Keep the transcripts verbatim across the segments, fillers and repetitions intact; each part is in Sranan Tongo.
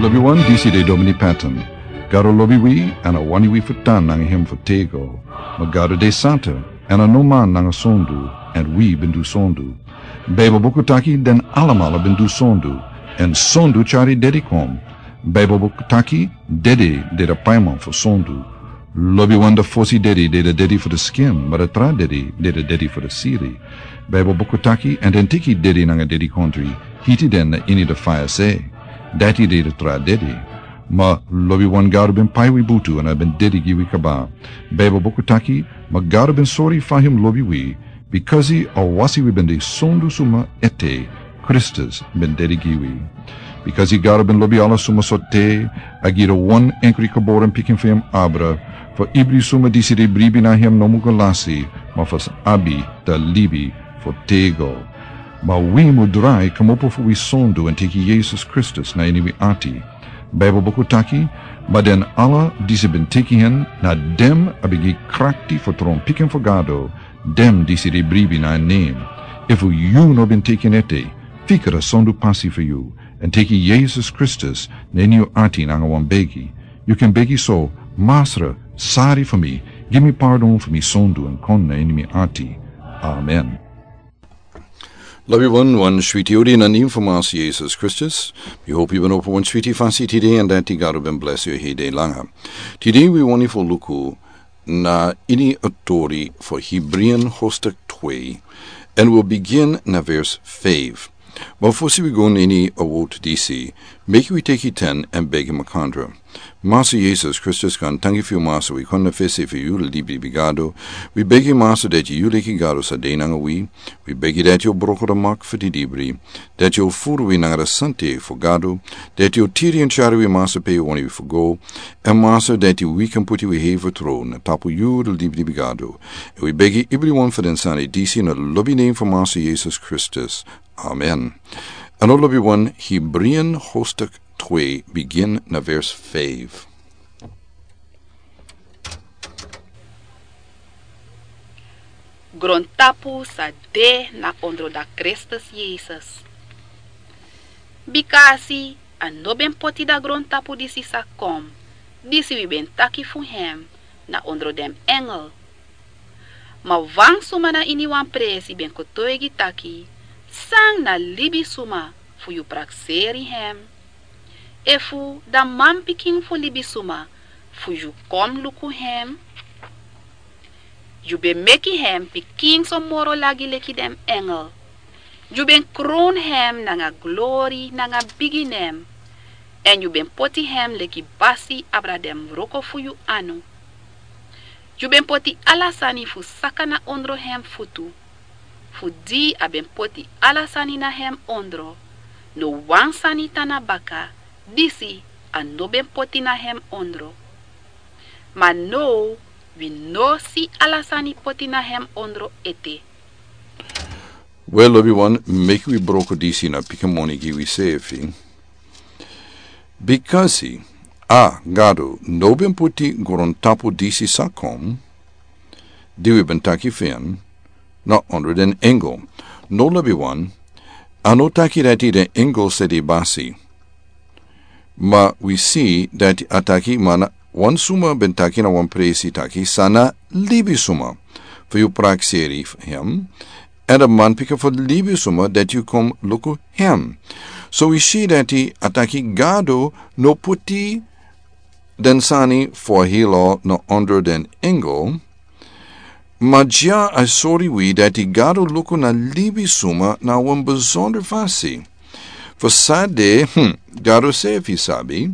Wi wan disi de Domini Patton. Gado lobi wi, èn a wani wi fu tan nanga hem fu tego. Ma Gado de santa, èn a no man nanga sondu, èn wi ben du sondu. Baibel buku taki den alamala ben du sondu, èn sondu tyari dedi kon. Baibel buku taki dedi de de paiman fu sondu. Lobi wan de fosi dedi de de dedi fu de skin, ma de tra dedi de de dedi fu de siri. Baibel buku taki, èn den teki dedi nanga dedi kontri, hiti den na ini de faya se. Dati de de tra dedi. Ma lobi wan Gado ben pai wi butu èn a ben dedi gi wi kaba. Baibel buku taki, ma Gado ben sori fa hem lobi wi, bikasi a wasi wi ben de sondu suma ete, Kristus ben dedi gi wi. Bikasi Gado ben lobi ala suma so te, a gi de wan enkri kaboren pikin fu hem abra, fu ibri suma disi de bribi na hem no mu go lasi, ma fu abi de libi fu tego. Ma wi mu drai kmopo fu wi sondu èn teki Yesus Kristus na ini wi ati. Baibel buku taki, ma den ala disi ben teki hen, na dem a ben gi krakti fu tron pikin fu Gado, dem disi de bribi na en nem. Efu yu no ben teki en ete, fika de sondu pasi fu yu, èn teki Yesus Kristus na ini yu ati nanga wan begi. Yu ken begi so, Masra, sari fu mi, gi mi pardon fu mi sondu èn kon na ini mi ati. Amen. Lobi wan, wan switi odi na nen fu Masa Yesus Kristus. Mi hopi yu ben opo wan switi fasi tide èn dati Gado ben blesi yu hede langa. Tide wi wani fu luku na ini a tori fu Hebreeën hoofdstuk twee, èn wi bigin na vers vijf. Ma fosi wi go na ini a wowtu disi, meki wi teki ten èn begi makandra. Masa Yesus Kristus, kon tanki fu yu, Masa, wi kon na fesi fu yu, libri fu Gado. Wi begi, Masa, dati yu leki Gado sa de nanga wi. Wi begi dati yu broko de mak fu di libri, dati yu furu wi nanga de sante fu Gado, dati yu tiri èn tyari wi, Masa, pe yu wani wi fu go. Èn, Masa, dati wi kan poti wi hei fu tron na tapu yu, de libri fu Gado. Èn wi begi ibri wan fu den sani disi na lobi nen fu Masa Yesus Kristus. Amen. Èn lobi wan, Hebreeën hoofdstuk twee, bigin na vers vijf. Grontapu sa de na ondro da Kristus Yesus. Bikasi a no ben poti da grontapu disi sa kon, disi wi ben taki fu hem, na ondro den engel. Ma wan suma na ini wan presi ben kotoigi taki, san na libisuma fu yu prakseri hem? Efu da manpikin fu libisuma fu yu kon luku hem? Yu ben meki hem pikinso moro lagi leki den engel. Yu ben kron hem nanga glori nanga bigi nen. Èn yu ben poti hem leki basi abra den wroko fu yu anu. Yu ben poti ala sani fu saka na ondro hem futu. Fu di a ben poti ala sani na hem ondro, no wan sani tan na baka disi a no ben poti na hem ondro. Ma now wi no si ala sani poti na hem ondro ete. Wel, lobi wan, meki wi broko disi na pikin moni gi wi sefi. Bikasi a Gado no ben poti grontapu disi sa kon, di wi ben taki fu en, na ondro den engel. No, lobi wan, a no taki dati den engel sa de basi. Ma wi si dati a taki, ma na wan suma ben taki na wan presi taki san na libisuma fu yu prakseri hem, èn a manpikin fu libisuma dati yu kon luku hem. So wi si dati a taki Gado no poti den sani fu a hilo na ondro den engel. Ma dya a sori wi dati Gado luku na libisuma na wan besonder fasi. Fu san de, hmm, Gado sefi sabi.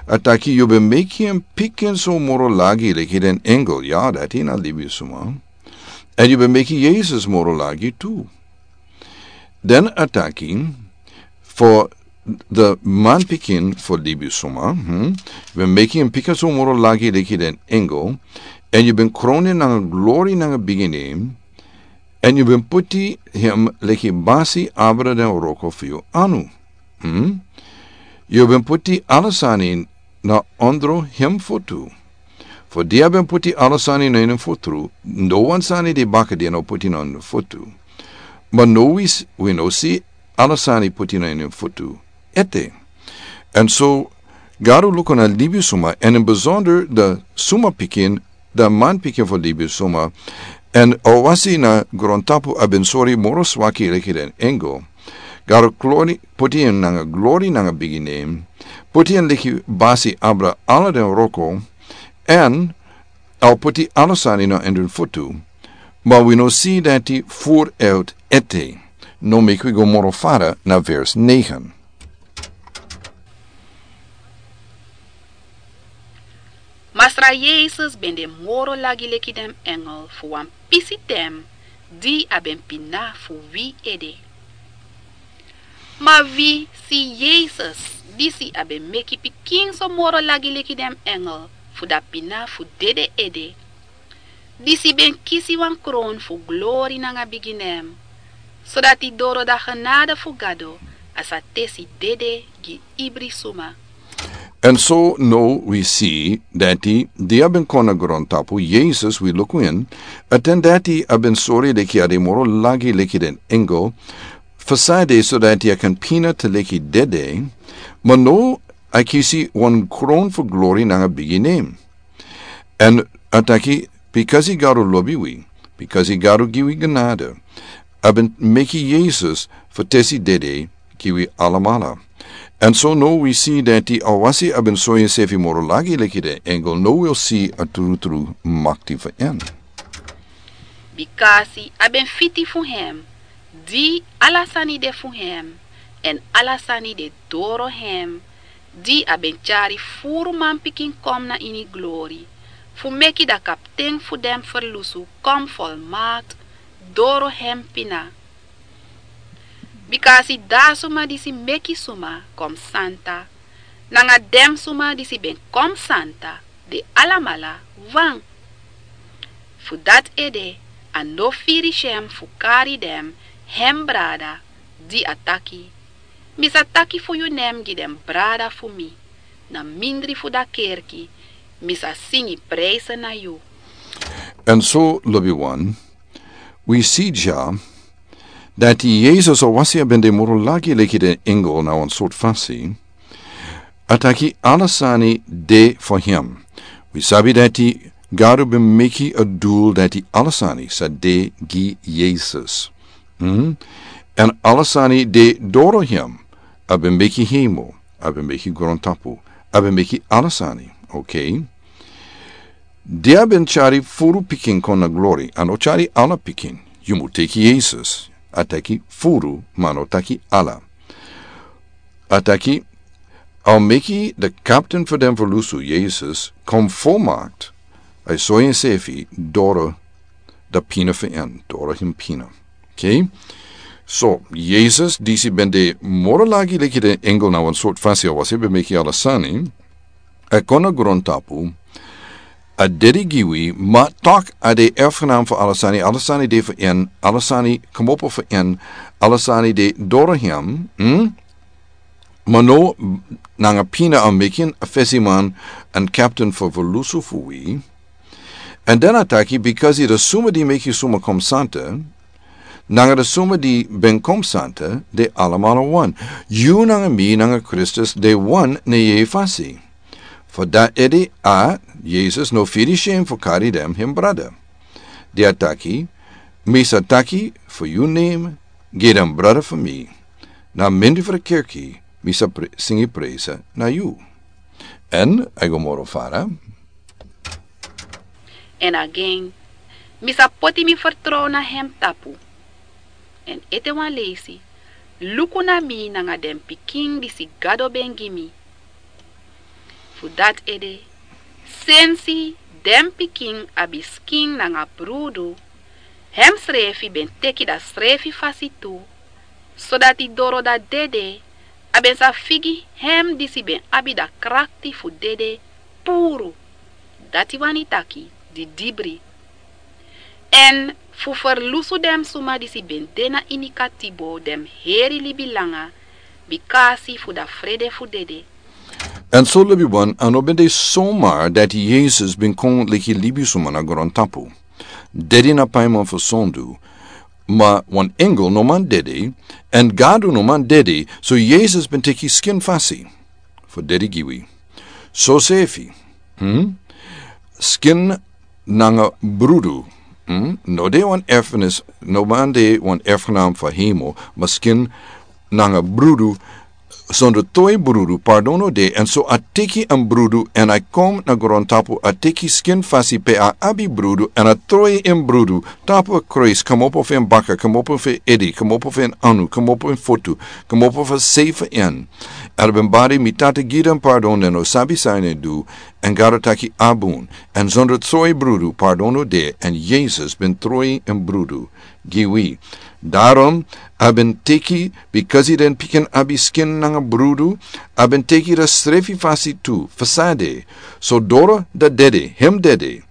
A taki yu ben meki en pikinso moro lagi leki den engel, ya, dati na libisuma. Èn yu ben meki Yesus moro lagi tu. Den a taki, fu den manpikin fu libisuma, hmm, yu ben meki en pikinso moro lagi leki den engel, èn yu ben kron en nanga glori nanga bigi nen, èn yu ben poti hem leki basi abra den wroko fu yu anu. Hmm? Yu ben poti ala sani na ondro hem fotu. Fu di a ben poti ala sani na ini en fotu, no wan sani de baka di a no poti na ini en fotu. Ma now wi s-, wi no si ala sani poti na ini en fotu ete. Èn so, Gado luku na libisuma, èn ini besonder dan suma pikin, dan manpikin fu libisuma, èn a wasi na grontapu a ben sori moro swaki leki den engel. Gado glori, puti en nanga glori nanga bigi nen, puti en leki basi abra ala den wroko, èn a o puti ala sani na en den futu. Ma wi no si dati furu ete. No, meki wi go moro fara na vers negen. Masra Yesus ben de moro lagi leki den engel fu wan pisi ten di a ben pina fu wi ede. Ma wi si Yesus, disi a ben meki pikin so moro lagi leki den engel, fu dati pina fu dede ede, disi ben kisi wan kron fu glori nanga bigi nen, sodati doro dan genade fu Gado a sa tesi dede gi ibri suma. Èn so now wi si dati di a ben kon na grontapu, Yesus, wi luku en, a ten dati a ben sori leki a de moro lagi leki den engel, fu san ede, sodati a kan pina te leki dede, ma now a kisi wan kron fu glori nanga bigi nen. Èn a taki, bikasi Gado lobi wi, bikasi Gado gi wi genade, a ben meki Yesus fu tesi dede gi wi alamala. Èn so now wi si dati a wasi a ben sori ensefi moro lagi leki den engel, now wi o si a trutru makti fu en. Bikasi a ben fiti fu hem, di ala sani de fu hem, èn ala sani de doro hem, di a ben tyari furu manpikin kon na ini glori, fu meki dan kapten fu den ferlusu kon folmakti doro hem pina. Bikasi dan suma disi meki suma kon santa, nanga den suma disi ben kon santa, de alamala wan. Fu dati ede a no firi syen fu kari den hem brada, di a taki: Mi sa taki fu yu nen gi den brada fu mi, na mindri fu dan kerki mi sa singi prijse na yu. Èn so, lobiwan, wi si dya dati Yesus, a wasi a ben de moro lagi leki den engel na wan sortu fasi, a taki ala sani de fu hem. Wi sabi dati Gado ben meki a dul dati ala sani sa de gi Yesus. Hmm? Èn ala sani de doro hem. A ben meki hemel, a ben meki grontapu, a ben meki ala sani. Oké. Di a ben tyari furu pikin kon na glori, a no tyari ala pikin. Yu mu teki Yesus. A taki furu, ma a no taki ala. A taki, a o meki den kapten fu den ferlusu, Yesus, kon folmakti, a e sori ensefi doro dan pina fu en, doro hem pina. Oké? So, Yesus, disi ben de moro lagi leki den engel na wan sortu fasi, a wasi ben meki ala sani, a kon na grontapu, a dede gi wi, ma tok a de erfgenaam fu ala sani, ala sani de fu en, ala sani komopo fu en, ala sani de doro hem, hmm? Ma now, nanga pina a meki en a fesiman èn kapten fu ferlusu fu wi. Èn dan a taki, bikasi den suma di meki suma kon santa, nanga den suma di ben kon santa, de alamala wan. Yu nanga mi nanga Kristus de wan na yeye fasi. Fu dati ede a, Yesus, no firi syen fu kari den hem brada. Di a taki, mi sa taki fu yu nen gi den brada fu mi, na mindri fu den kerki mi sa pre-, singi prijse na yu. Èn a e go moro fara. Èn again, mi sa poti mi fertrow na hem tapu. Èn ete wan leisi, luku na mi nanga den pikin disi Gado ben gi mi. Fu dati ede, sensi den pikin abi skin nanga brudu, hemsrefi ben teki dan srefi fasi tu, sodati doro dan dede, a ben sa figi hem disi ben abi dan krakti fu dede puru, dati wani taki didibri. Èn fu ferlusu den suma disi ben de na ini katibo den heri libi langa, bikasi fu dan frede fu dede. Èn so, lobiwan, a no ben de somar dati Yesus ben kon leki libisuma na grontapu. Dede na paiman fu sondu, ma wan engel no man dede, èn Gado no man dede, so Yesus ben teki skin fasi fu dede gi wi. Sosefi, skin nanga brudu no de wan erfenis, no man de wan erfgenam fu hemel, ma skin nanga brudu. Sondro troi brudu pardon no de. Èn so a teki en brudu èn a kon na grontapu, a teki skin fasi pe a abi brudu èn a troi en brudu tapu a krois, komopo fu en baka, komopo fu en edi, komopo fu en anu, komopo en fotu, komopo fu sefi en. Èn a ben bari mi tata gi den pardon den no sabi san den du. Èn gado taki a bun. Èn sondro troi brudu pardon no de èn yesus ben troi en brudu gi wi. Darom a ben teki bikasi den pikin abi skin nanga brudu, a ben teki dati srefi fasi tu fu sade. So doro dati dede hem dede,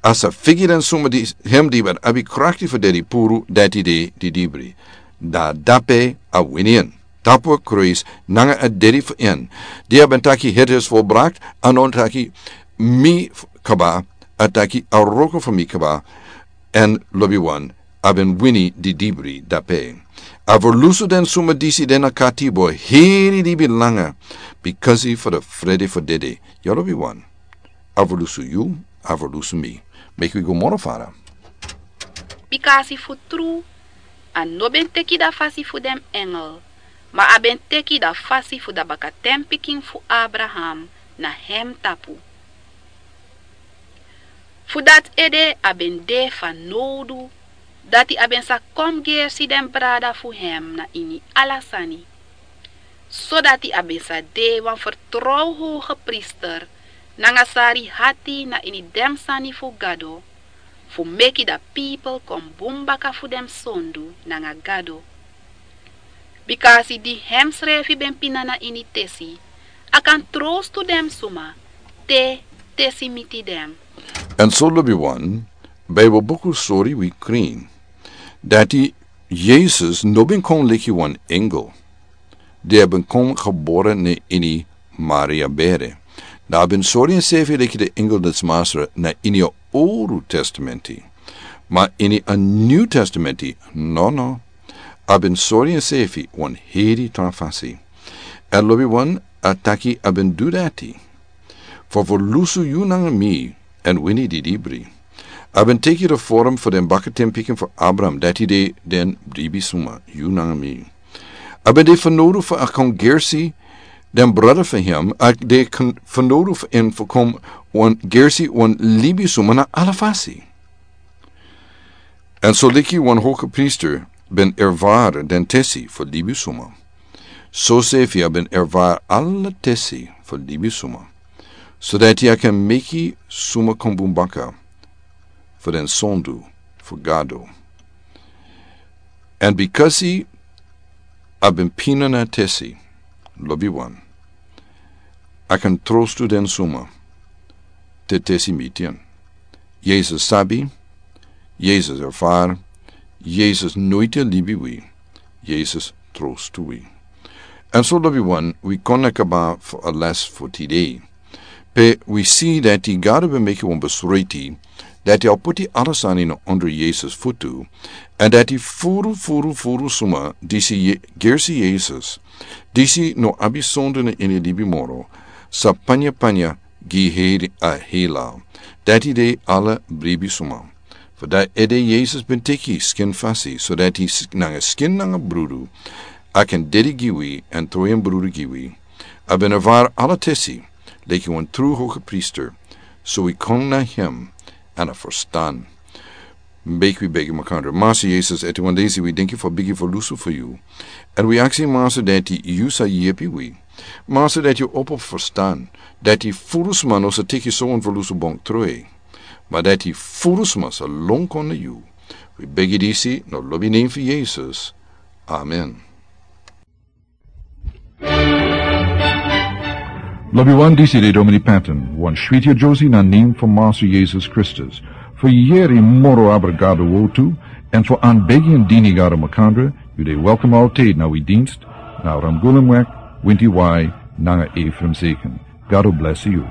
a sa figi den suma di hem di ben abi krakti fu dedi puru dati de didibri. Dan dape a wini en tapu a krois nanga a dedi fu en. Di a ben taki het is volbrakt, a no taki mi kaba, a taki a wroko fu mi kaba. Èn lobi wan, a ben wini didibri dape. A ferlusu den suma disi den na katibo heri dibi langa, bikasi fu de frede fu dede. Yu lobi wan, a ferlusu yu, a ferlusu mi. Meki wi go moro fara. Bikasi fu tru, a no ben teki dati fasi fu den engel, ma a ben teki dati fasi fu dati bakatenpikin fu abraham na hem tapu. Fu dati ede a ben de fanowdu dati a ben sa kon gersi den brada fu hem na ini ala sani. Sodati a ben sa de wan fertrow hogepriester nanga sari hati na ini den sani fu gado, fu meki dati pipel kon bun baka fu den sondu nanga gado. Bikasi di hemsrefi ben pina na ini tesi, a kan trostu den suma te tesi miti den. Èn so lobi wan, bibel buku sori wi krin dati yesus no ben kon leki wan engel. Di a ben kon gebore na ini maria bere. Dan a ben sori ensefi leki de engel dati masra na ini a owru testamenti. Ma ini a niu testamenti, nono. A ben sori ensefi wan heri tran fasi. Èn lobi wan, a taki a ben du dati fu ferlusu yu nanga mi èn wini didibri. A ben teki de forum fu den bakatenpikin fu abraham dati de den dibisuma yu nanga mi. A ben de fanowdu fu a kon gersi den brada fu hem a de fanowdu fu en fu kon wan gersi wan libisuma na ala fasi. Èn so leki wan hogepriester ben ervari den tesi fu libisuma, sosefi a ben ervari ala tesi fu libisuma, sodati a kan meki suma kon bun baka fu den sondu fu gado. Èn bikasi a ben pina na tesi, lobi wan, a kan trostu den suma te tesi miti en. Yesus sabi, yesus erfari, yesus noiti a libi wi, yesus trostu wi. Èn so lobi wan, wi kon na kaba fu a les fu tidei. Pe wi si dati gado ben meki wan besreti dati a o puti ala sani na ondro yesus futu, èn dati furu furu furu suma disi gersi yesus, disi no abi sondu na ini libi moro, sa panya panya gi heri a hela. Dati de ala bribi suma. Fu dati ede yesus ben teki skin fasi sodati nanga skin nanga brudu a kan dedi gi wi èn troyen brudu gi wi. A ben ervari ala tesi leki wan tru hogepriester. So wi kon na hem èn a ferstan. Meki wi begi makandra. Masa yesus eti wan desi wi dinki fu a bigi ferlusu fu yu. Èn wi aksi masa dati yu sa yepi wi, masa dati yu opo ferstan dati furu sma no sa teki so wan ferlusu bonk troi, ma dati furu sma sa lon kon na yu. Wi begi disi na lobi nen fu yesus. Amen. Lobi wan, disi de domini panton wan switi a josi na nen fu masu yesus kristus. Fu yeri moro abra gado wotu èn fu an begi an dini gado makandra, yu de welkom altid na wi dinst na ramgulam wek, winti wai, nanga efrem seken. Gado blesi yu.